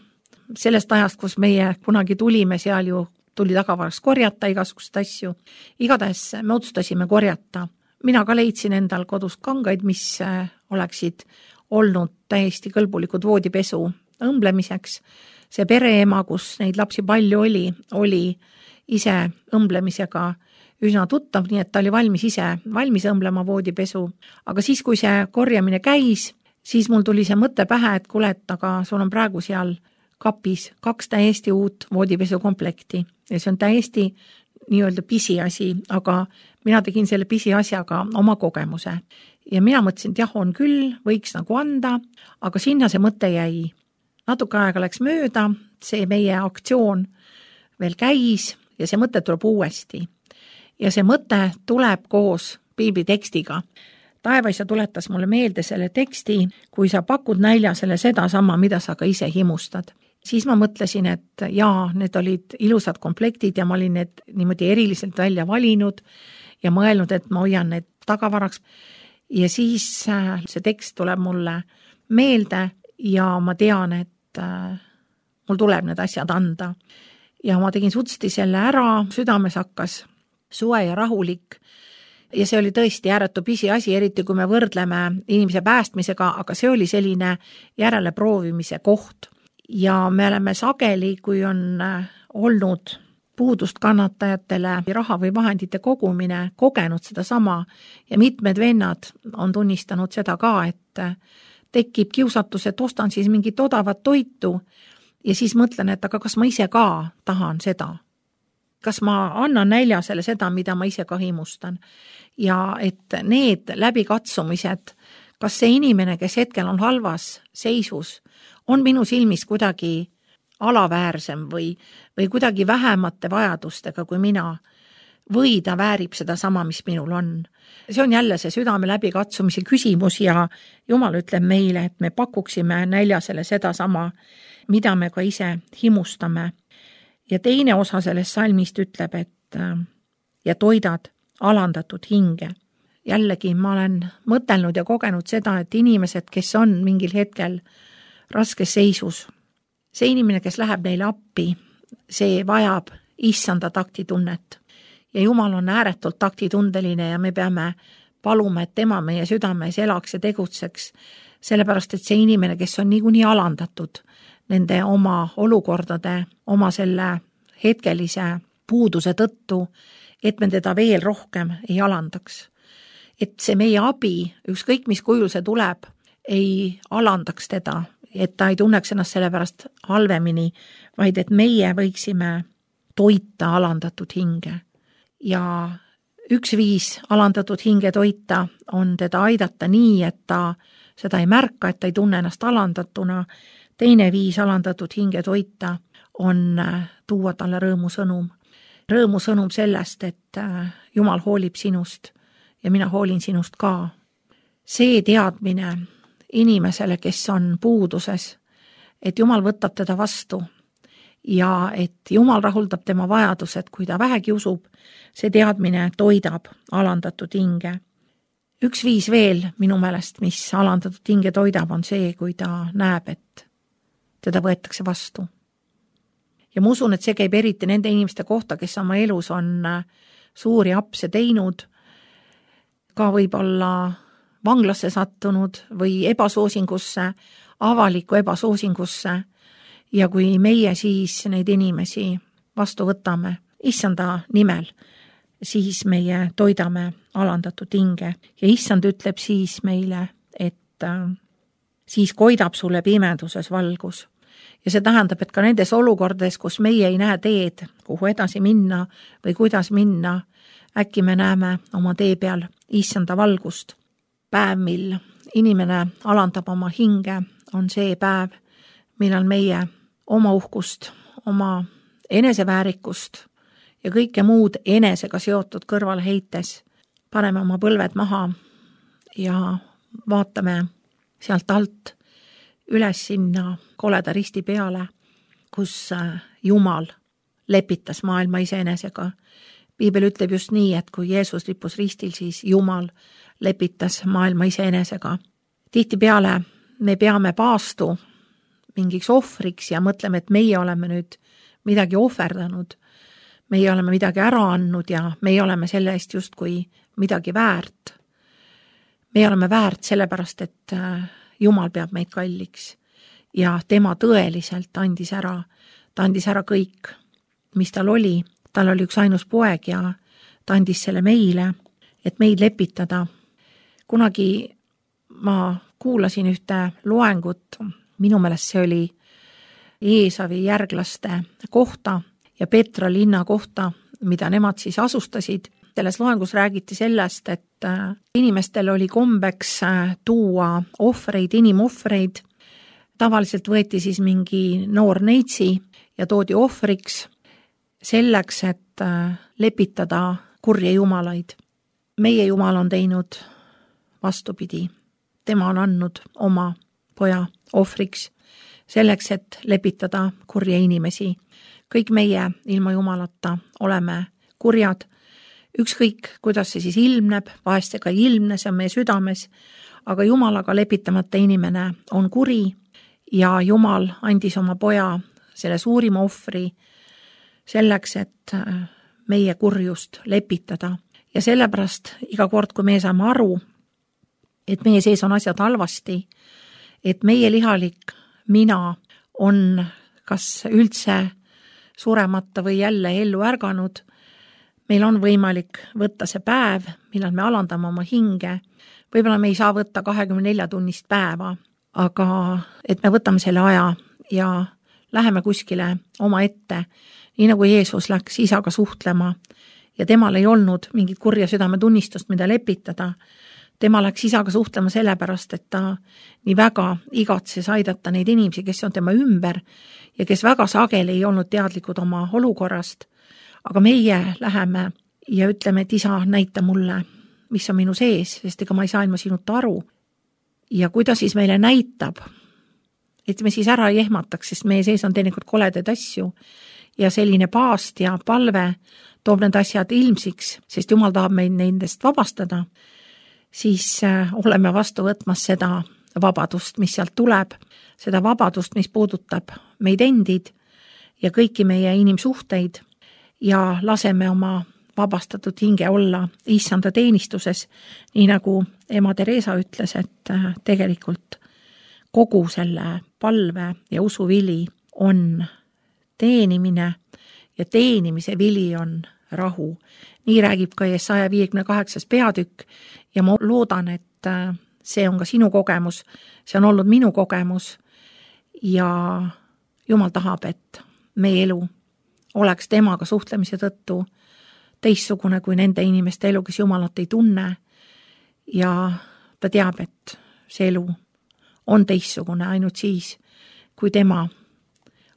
Sellest ajast, kus meie kunagi tulime, seal ju tuli tagavaraks korjata igasugust asju. Igatahes me otsustasime korjata. Mina ka leidsin endal kodus kangaid, mis oleksid olnud täiesti kõlbulikud voodipesu õmblemiseks. See pereema, kus neid lapsi palju oli ise õmblemisega üsna tuttav, nii et ta oli valmis õmblema voodipesu. Aga siis, kui see korjamine käis, siis mul tuli see mõte pähe, et kuule, et aga sul on praegu seal kapis 2 täiesti uut voodipesukomplekti ja see on täiesti nii-öelda pisiasi, aga mina tegin selle pisiasjaga oma kogemuse. Ja mina mõtlesin, et jah, on küll, võiks nagu anda, aga sinna see mõte jäi. Natuke aega läks mööda, see meie aktsioon veel käis ja see mõte tuleb uuesti. Ja see mõte tuleb koos piibli tekstiga. Taevaisa tuletas mulle meelde selle teksti, kui sa pakud näljasele seda sama, mida sa ka ise himustad. Siis ma mõtlesin, et jaa, need olid ilusad komplektid ja ma olin need niimoodi eriliselt välja valinud ja mõelnud, et ma hoian need tagavaraks. Ja siis see tekst tuleb mulle meelde ja ma tean, et mul tuleb need asjad anda. Ja ma tegin sutsti selle ära, südames hakkas suve ja rahulik. Ja see oli tõesti ääretu pisiasi, eriti kui me võrdleme inimese päästmisega, aga see oli selline järele proovimise koht. Ja me oleme sageli, kui on olnud puudust kannatajatele raha või vahendite kogumine, kogenud seda sama ja mitmed vennad on tunnistanud seda ka, et tekib kiusatus, et ostan siis mingit odavat toitu ja siis mõtlen, et aga kas ma ise ka tahan seda? Kas ma annan näljasele seda, mida ma ise ka himustan? Ja et need läbikatsumised, kas see inimene, kes hetkel on halvas seisus, on minu silmis kuidagi alaväärsem või kuidagi vähemate vajadustega kui mina, või ta väärib seda sama, mis minul on. See on jälle see südame läbikatsumise küsimus ja Jumal ütleb meile, et me pakuksime näljasele seda sama, mida me ka ise himustame. Ja teine osa sellest salmist ütleb, et ja toidad alandatud hinge. Jällegi ma olen mõtelnud ja kogenud seda, et inimesed, kes on mingil hetkel raskes seisus, see inimene, kes läheb neile appi, see vajab issanda taktitunnet. Ja Jumal on ääretult taktitundeline ja me peame paluma, et tema meie südames elaks ja tegutseks, sellepärast, et see inimene, kes on niikuinii alandatud nende oma olukordade, oma selle hetkelise puuduse tõttu, et me teda veel rohkem ei alandaks. Et see meie abi, ükskõik mis kujul see tuleb, ei alandaks teda, et ta ei tunneks ennast selle pärast halvemini, vaid et meie võiksime toita alandatud hinge. Ja üks viis alandatud hinge toita on teda aidata nii, et ta seda ei märka, et ta ei tunne ennast alandatuna. Teine viis alandatud hinge toita on tuua talle rõõmusõnum. Rõõmusõnum sellest, et Jumal hoolib sinust ja mina hoolin sinust ka. see teadmine inimesele, kes on puuduses, et Jumal võtab teda vastu ja et Jumal rahuldab tema vajadused, kui ta vähegi usub, see teadmine toidab alandatud hinge. Üks viis veel minu meelest, mis alandatud hinge toidab, on see, kui ta näeb, et teda võetakse vastu. Ja ma usun, et see käib eriti nende inimeste kohta, kes oma elus on suuri apse teinud, ka võib-olla vanglasse sattunud või ebasoosingusse, avalikku ebasoosingusse, ja kui meie siis neid inimesi vastu võtame issanda nimel, siis meie toidame alandatud hinge ja issand ütleb siis meile, et siis koidab sulle pimeduses valgus. Ja see tähendab, et ka nendes olukordades, kus meie ei näe teed, kuhu edasi minna või kuidas minna, äkki me näeme oma tee peal issanda valgust. Päev, mil inimene alandab oma hinge, on see päev, millal meie oma uhkust, oma eneseväärikust ja kõike muud enesega seotud kõrvale heites paneme oma põlved maha ja vaatame sealt alt üles sinna koleda risti peale, kus Jumal lepitas maailma iseenesega. Piibel ütleb just nii, et kui Jeesus lippus ristil, siis Jumal lepitas maailma iseenesega. Tihtipeale me peame paastu mingiks ohvriks ja mõtleme, et meie oleme nüüd midagi ohverdanud. Meie oleme midagi ära andnud ja meie oleme selle eest justkui midagi väärt. Me oleme väärt sellepärast, et Jumal peab meid kalliks ja tema tõeliselt andis ära. Ta andis ära kõik, mis tal oli. Tal oli üks ainus poeg ja ta andis selle meile, et meid lepitada. Kunagi ma kuulasin ühte loengut, minu meelest see oli Eesavi järglaste kohta ja Petra linna kohta, mida nemad siis asustasid. Selles loengus räägiti sellest, et inimestel oli kombeks tuua ohvreid, inimohvreid. Tavaliselt võeti siis mingi noor neitsi ja toodi ohvriks selleks, et lepitada kurje jumalaid. Meie Jumal on teinud vastupidi. Tema on andnud oma poja ohvriks selleks, et lepitada kurje inimesi. Kõik meie ilma Jumalata oleme kurjad. Ükskõik, kuidas see siis ilmneb, vahest ega ilmne, see on meie südames, aga Jumalaga lepitamata inimene on kuri ja Jumal andis oma poja selle suurima ohvri selleks, et meie kurjust lepitada. Ja sellepärast iga kord, kui me saame aru, et meie sees on asjad halvasti, et meie lihalik mina on kas üldse suremata või jälle ellu ärganud, meil on võimalik võtta see päev, millal me alandame oma hinge. Võib-olla me ei saa võtta 24 tunnist päeva, aga et me võtame selle aja ja läheme kuskile oma ette, nii nagu Jeesus läks isaga suhtlema ja temal ei olnud mingit kurja südametunnistust, mida lepitada. Tema läks isaga suhtlema sellepärast, et ta nii väga igatses aidata neid inimesi, kes on tema ümber ja kes väga sageli ei olnud teadlikud oma olukorrast. Aga meie läheme ja ütleme, et isa, näita mulle, mis on minu sees, sest ega ma ei saa ilma sinuta aru. Ja kui ta siis meile näitab, et me siis ära ei ehmataks, sest meie sees on teinekord koledaid asju ja selline paast ja palve toob need asjad ilmsiks, sest Jumal tahab meid nendest vabastada, siis oleme vastu võtmas seda vabadust, mis sealt tuleb, seda vabadust, mis puudutab meid endid ja kõiki meie inimsuhteid ja laseme oma vabastatud hinge olla issanda teenistuses, nii nagu ema Teresa ütles, et tegelikult kogu selle palve ja usuvili on teenimine ja teenimise vili on rahu. Nii räägib ka Jesaja 58. peatükk ja ma loodan, et see on ka sinu kogemus, see on olnud minu kogemus ja Jumal tahab, et meie elu oleks temaga suhtlemise tõttu teistsugune kui nende inimeste elu, kes Jumalat ei tunne ja ta teab, et see elu on teistsugune ainult siis, kui tema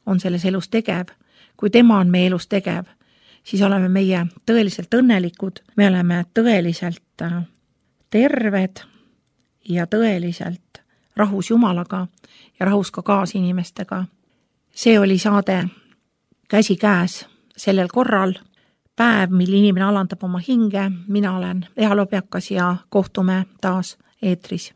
on selles elus tegev, kui tema on meie elus tegev, siis oleme meie tõeliselt õnnelikud, me oleme tõeliselt terved ja tõeliselt rahus Jumalaga ja rahus ka kaasinimestega. See oli saade Käsikäes sellel korral, päev, mil inimene alandab oma hinge. Mina olen Eha Lobjakas ja kohtume taas eetris.